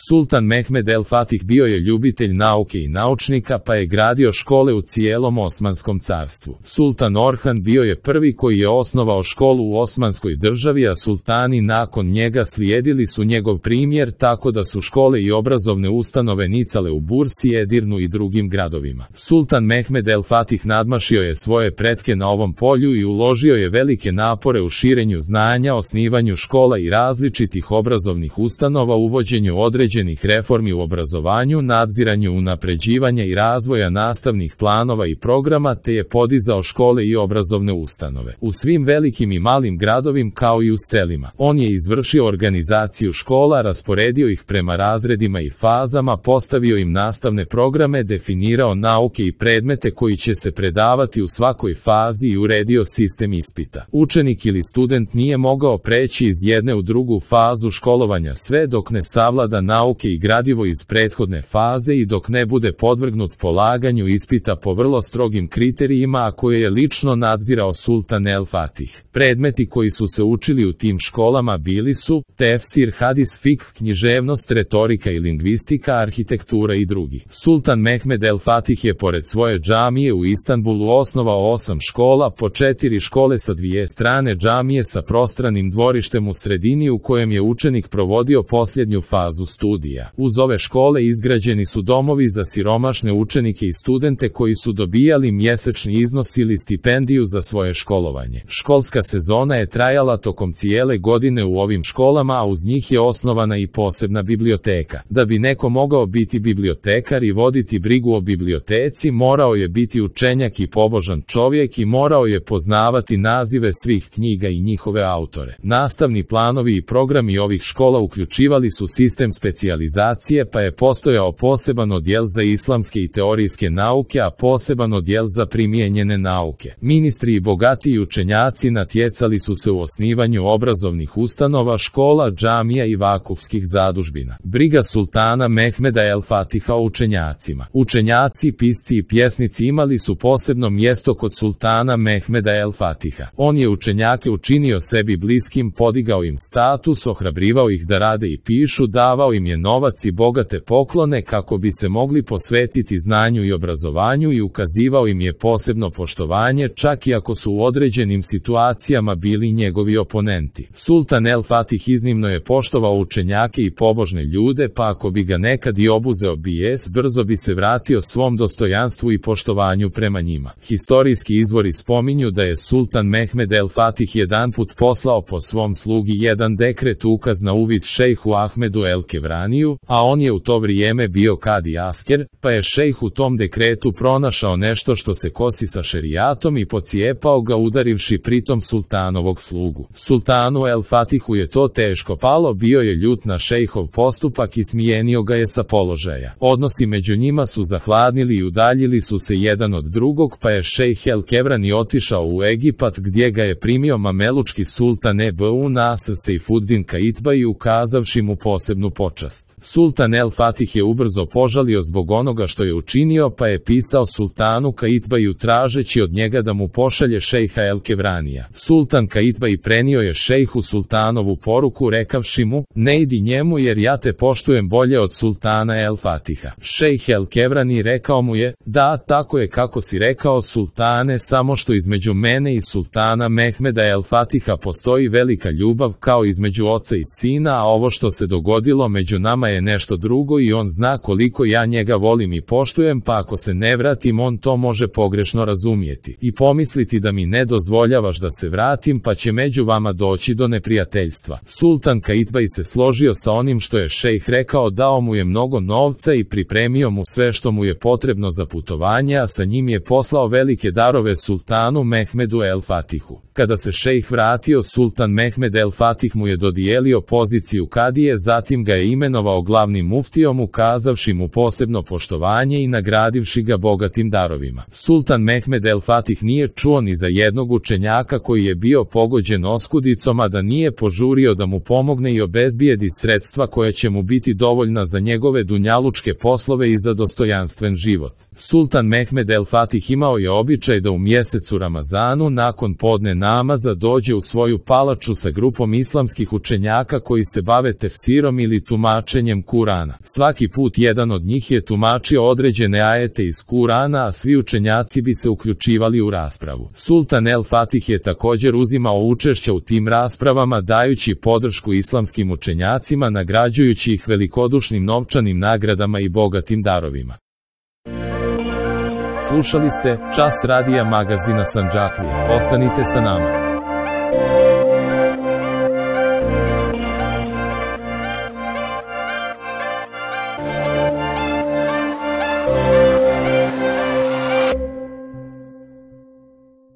Sultan Mehmed el Fatih bio je ljubitelj nauke i naučnika pa je gradio škole u cijelom Osmanskom carstvu. Sultan Orhan bio je prvi koji je osnovao školu u Osmanskoj državi, a sultani nakon njega slijedili su njegov primjer tako da su škole i obrazovne ustanove nicale u Bursi, Edirnu i drugim gradovima. Sultan Mehmed el Fatih nadmašio je svoje pretke na ovom polju i uložio je velike napore u širenju znanja, osnivanju škola i različitih obrazovnih ustanova, uvođenju određenih reformi u obrazovanju, nadziranju unapređivanja i razvoja nastavnih planova i programa, te je podizao škole i obrazovne ustanove u svim velikim i malim gradovima kao i u selima. On je izvršio organizaciju škola, rasporedio ih prema razredima i fazama, postavio im nastavne programe, definirao nauke i predmete koji će se predavati u svakoj fazi i uredio sistem ispita. Učenik ili student nije mogao preći iz jedne u drugu fazu školovanja sve dok ne savlada nauke i gradivo iz prethodne faze i dok ne bude podvrgnut polaganju ispita po vrlo strogim kriterijima, a koje je lično nadzirao Sultan el Fatih. Predmeti koji su se učili u tim školama bili su tefsir, hadis, fik, književnost, retorika i lingvistika, arhitektura i drugi. Sultan Mehmed el Fatih je pored svoje džamije u Istanbulu osnovao 8 škola, po 4 škole sa 2 strane džamije sa prostranim dvorištem u sredini u kojem je učenik provodio posljednju fazu studija. Uz ove škole izgrađeni su domovi za siromašne učenike i studente koji su dobijali mjesečni iznos ili stipendiju za svoje školovanje. Školska sezona je trajala tokom cijele godine u ovim školama, a uz njih je osnovana i posebna biblioteka. Da bi neko mogao biti bibliotekar i voditi brigu o biblioteci, morao je biti učenjak i pobožan čovjek i morao je poznavati nazive svih knjiga i njihove autore. Nastavni planovi i programi ovih škola uključivali su sistem specijalizacije, pa je postojao poseban odjel za islamske i teorijske nauke, a poseban odjel za primijenjene nauke. Ministri i bogatiji učenjaci natjecali su se u osnivanju obrazovnih ustanova, škola, džamija i vakufskih zadužbina. Briga sultana Mehmeda el Fatiha o učenjacima. Učenjaci, pisci i pjesnici imali su posebno mjesto kod sultana Mehmeda el Fatiha. On je učenjake učinio sebi bliskim, podigao im status, ohrabrivao ih da rade i pišu, davao im je novac i bogate poklone kako bi se mogli posvetiti znanju i obrazovanju i ukazivao im je posebno poštovanje, čak i ako su u određenim situacijama bili njegovi oponenti. Sultan el Fatih iznimno je poštovao učenjake i pobožne ljude, pa ako bi ga nekad i obuzeo bijes, brzo bi se vratio svom dostojanstvu i poštovanju prema njima. Historijski izvori spominju da je Sultan Mehmed el Fatih jedanput poslao po svom slugi jedan dekret ukaz na uvid šejhu Ahmedu el Kevraniju, a on je u to vrijeme bio kadi asker, pa je šejh u tom dekretu pronašao nešto što se kosi sa šerijatom i pocijepao ga udarivši pritom sultanovog slugu. Sultanu el Fatihu je to teško palo, bio je ljut na šejhov postupak i smijenio ga je sa položaja. Odnosi među njima su zahladnili i udaljili su se jedan od drugog, pa je šejh el Kevrani otišao u Egipat gdje ga je primio mamelučki sultan Ebu Nasr Sejfuddin Kaitbaj ukazavši mu posebnu počast. Sultan el Fatih je ubrzo požalio zbog onoga što je učinio, pa je pisao sultanu Kaitbaju tražeći od njega da mu pošalje šejha el Kevranija. Sultan Kaitbaj prenio je šejhu sultanovu poruku rekavši mu: ne idi njemu jer ja te poštujem bolje od sultana el Fatiha. Šejh el Kevrani rekao mu je: da, tako je kako si rekao sultane, samo što između mene i sultana Mehmeda el Fatiha postoji velika ljubav kao između oca i sina, a ovo što se dogodilo među nama je nešto drugo i on zna koliko ja njega volim i poštujem, pa ako se ne vratim on to može pogrešno razumjeti i pomisliti da mi ne dozvoljavaš da se vratim, pa će među vama doći do neprijateljstva. Sultan Kaitbaj se složio sa onim što je šejh rekao, dao mu je mnogo novca i pripremio mu sve što mu je potrebno za putovanje, a sa njim je poslao velike darove sultanu Mehmedu el Fatihu. Kada se šejh vratio, sultan Mehmed el Fatih mu je dodijelio poziciju kadije, zatim ga je imenovao glavnim muftijom, ukazavši mu posebno poštovanje i nagradivši ga bogatim darovima. Sultan Mehmed el Fatih nije čuo ni za jednog učenjaka koji je bio pogođen oskudicom, a da nije požurio da mu pomogne i obezbijedi sredstva koja će mu biti dovoljna za njegove dunjalučke poslove i za dostojanstven život. Sultan Mehmed el Fatih imao je običaj da u mjesecu Ramazanu nakon podne namaza dođe u svoju palaču sa grupom islamskih učenjaka koji se bave tefsirom ili tumačenjem Kurana. Svaki put jedan od njih je tumačio određene ajete iz Kurana, a svi učenjaci bi se uključivali u raspravu. Sultan el Fatih je također uzimao učešća u tim raspravama dajući podršku islamskim učenjacima, nagrađujući ih velikodušnim novčanim nagradama i bogatim darovima. Slušali ste Čas radija magazina Sandžaklije. Ostanite sa nama.